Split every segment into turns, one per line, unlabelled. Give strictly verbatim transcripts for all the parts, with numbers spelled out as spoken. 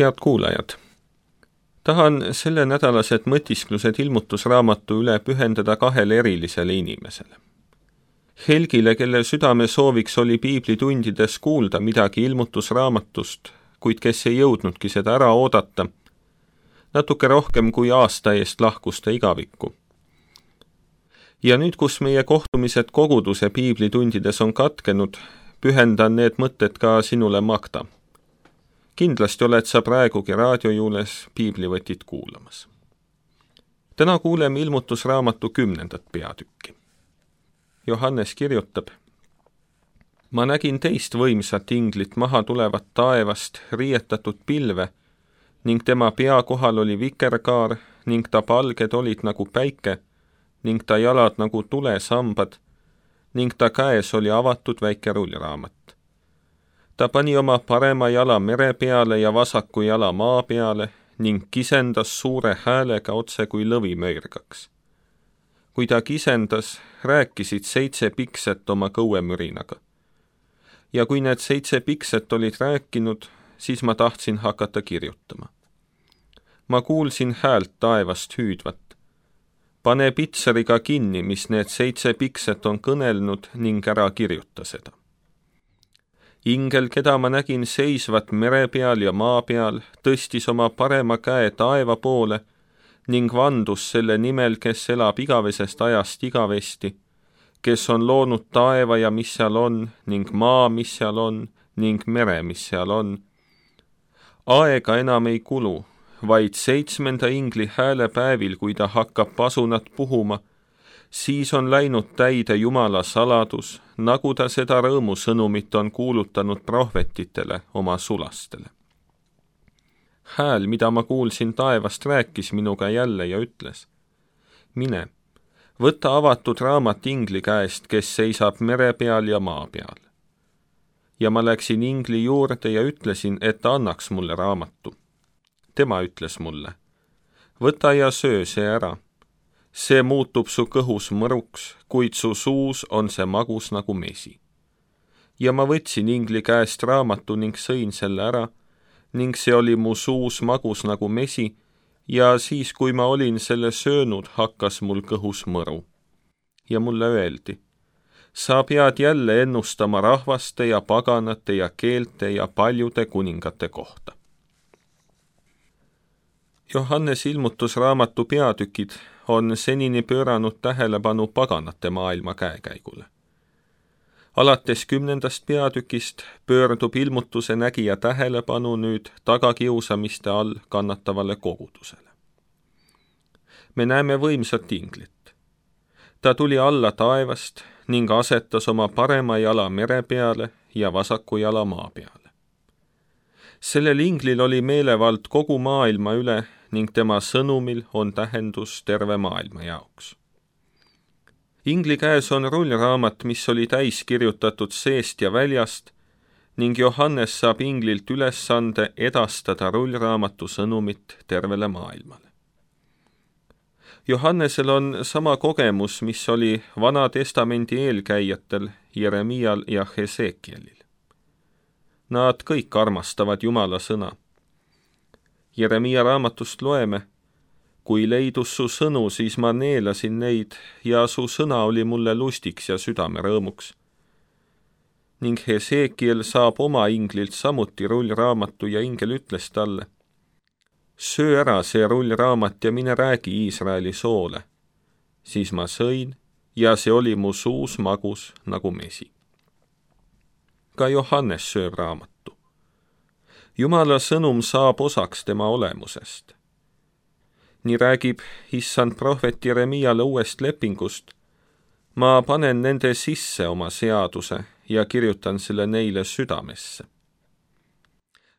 Head kuulajad! Tahan selle nädalased mõtisklused ilmutusraamatu üle pühendada kahele erilisele inimesele. Helgile, kelle südame sooviks oli piiblitundides kuulda midagi ilmutusraamatust, kuid kes ei jõudnudki seda ära oodata, natuke rohkem kui aasta eest lahkus ta igavikku. Ja nüüd, kus meie kohtumised koguduse piiblitundides on katkenud, pühendan need mõtted ka sinule, Magda. Kindlasti oled sa praegugi raadiojuules piiblivõtit kuulamas. Täna kuuleme ilmutusraamatu kümnendat peatükki. Johannes kirjutab: Ma nägin teist võimsat inglit maha tulevat taevast riietatud pilve ning tema pea kohal oli vikerkaar ning ta palged olid nagu päike ning ta jalad nagu tulesambad ning ta käes oli avatud väike rullraamat. Ta pani oma parema jala mere peale ja vasaku jala maa peale ning kisendas suure häälega otse kui lõvi möirgaks. Kui ta kisendas, rääkisid seitse pikset oma kõuemürinaga. Ja kui need seitse pikset olid rääkinud, siis ma tahtsin hakata kirjutama. Ma kuulsin häält taevast hüüdvat. Pane pitseriga kinni, mis need seitse pikset on kõnelnud ning ära kirjuta seda. Ingel, keda ma nägin seisvat mere peal ja maa peal, tõstis oma parema käe taeva poole ning vandus selle nimel, kes elab igavesest ajast igavesti, kes on loonud taeva ja mis seal on, ning maa, mis seal on, ning mere, mis seal on. Aega enam ei kulu, vaid seitsmenda ingli häälepäevil, kui ta hakkab pasunat puhuma, siis on läinud täide Jumala saladus, nagu ta seda rõõmusõnumit on kuulutanud prohvetitele oma sulastele. Hääl, mida ma kuulsin taevast, rääkis minuga jälle ja ütles: Mine, võta avatud raamat ingli käest, kes seisab mere peal ja maa peal. Ja ma läksin ingli juurde ja ütlesin, et ta annaks mulle raamatu. Tema ütles mulle: Võta ja söö see ära. See muutub su kõhus mõruks, kuid su suus on see magus nagu mesi. Ja ma võtsin ingli käest raamatu ning sõin selle ära, ning see oli mu suus magus nagu mesi, ja siis, kui ma olin selle söönud, hakkas mul kõhus mõru. Ja mulle öeldi: Sa pead jälle ennustama rahvaste ja paganate ja keelte ja paljude kuningate kohta. Johannes ilmutusraamatu peatükid on senini pööranud tähelepanu paganate maailma käekäigule. Alates kümnendast peatükist pöördub ilmutuse nägija tähelepanu nüüd tagakiusamiste all kannatavale kogudusele. Me näeme võimsat inglit. Ta tuli alla taevast ning asetas oma parema jala mere peale ja vasaku jala maa peale. Sellel inglil oli meelevald kogu maailma üle ning tema sõnumil on tähendus terve maailma jaoks. Ingli käes on rullraamat, mis oli täis kirjutatud seest ja väljast, ning Johannes saab inglilt ülesande edastada rullraamatu sõnumit tervele maailmale. Johannesel on sama kogemus, mis oli Vana Testamendi eelkäijatel Jeremial ja Hesekielil. Nad kõik armastavad Jumala sõna. Jeremia raamatust loeme: Kui leidus su sõnu, siis ma neelasin neid ja su sõna oli mulle lustiks ja südame rõõmuks. Ning Hesekiel saab oma inglilt samuti rullraamatu ja ingel ütles talle: Söö ära see rullraamat ja mine räägi Iisraeli soole. Siis ma sõin ja see oli mu suus magus nagu mesi. Ka Johannes sööb raamatu. Jumala sõnum saab osaks tema olemusest. Nii räägib issand prohvet Jeremiale uuest lepingust: Ma panen nende sisse oma seaduse ja kirjutan selle neile südamesse.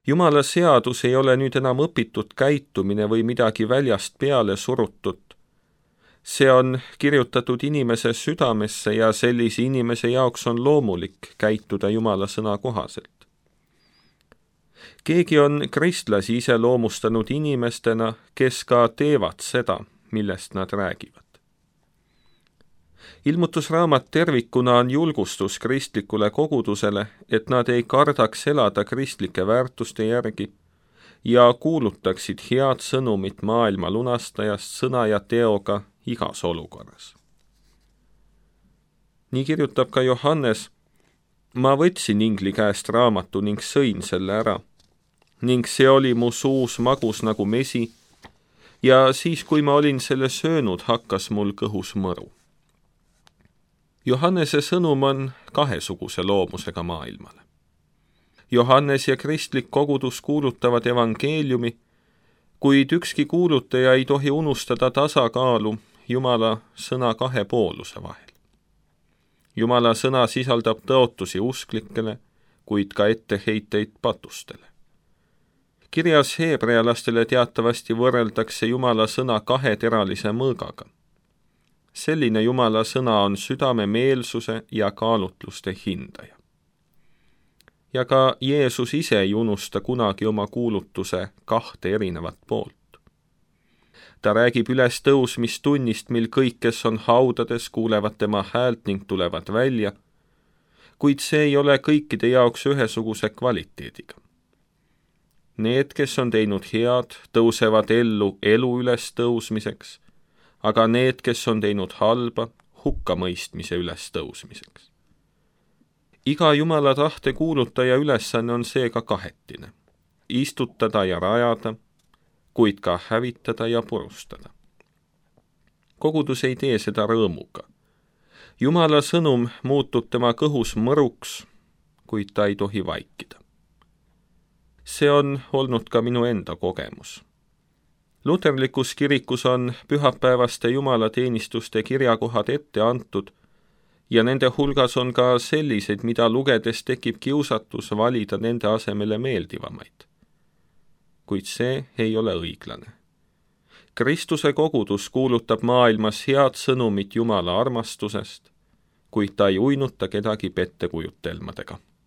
Jumala seadus ei ole nüüd enam õpitud käitumine või midagi väljast peale surutut. See on kirjutatud inimese südamesse ja sellise inimese jaoks on loomulik käituda Jumala sõna kohaselt. Keegi on kristlasi iseloomustanud inimestena, kes ka teevad seda, millest nad räägivad. Ilmutusraamat tervikuna on julgustus kristlikule kogudusele, et nad ei kardaks elada kristlike väärtuste järgi ja kuulutaksid head sõnumit maailma lunastajast sõna ja teoga igas olukorras. Nii kirjutab ka Johannes: ma võtsin ingli käest raamatu ning sõin selle ära, ning see oli mu suus magus nagu mesi, ja siis, kui ma olin selle söönud, hakkas mul kõhus mõru. Johannese sõnum on kahesuguse loomusega maailmale. Johannes ja kristlik kogudus kuulutavad evangeeliumi, kuid ükski kuulutaja ei tohi unustada tasakaalu Jumala sõna kahe pooluse vahel. Jumala sõna sisaldab tõotusi usklikele, kuid ka etteheiteid patustele. Kirjas heebrealastele teatavasti võrreldakse Jumala sõna kaheteralise mõõgaga. Selline Jumala sõna on südame meelsuse ja kaalutluste hindaja. Ja ka Jeesus ise ei unusta kunagi oma kuulutuse kahte erinevat poolt. Ta räägib üles tõusmistunnist, mil kõik, kes on haudades, kuulevad tema häält ning tulevad välja, kuid see ei ole kõikide jaoks ühesuguse kvaliteediga. Need, kes on teinud head, tõusevad ellu elu üles tõusmiseks, aga need, kes on teinud halba, hukkamõistmise üles tõusmiseks. Iga Jumala tahte kuulutaja ülesanne on seega kahetine: istutada ja rajada, kuid ka hävitada ja purustada. Kogudus ei tee seda rõõmuga. Jumala sõnum muutub tema kõhus mõruks, kuid ta ei tohi vaikida. See on olnud ka minu enda kogemus. Luterlikus kirikus on pühapäevaste jumalateenistuste kirjakohad ette antud ja nende hulgas on ka selliseid, mida lugedes tekib kiusatus valida nende asemele meeldivamaid. Kuid see ei ole õiglane. Kristuse kogudus kuulutab maailmas head sõnumit Jumala armastusest, kuid ta ei uinuta kedagi pettekujutelmadega.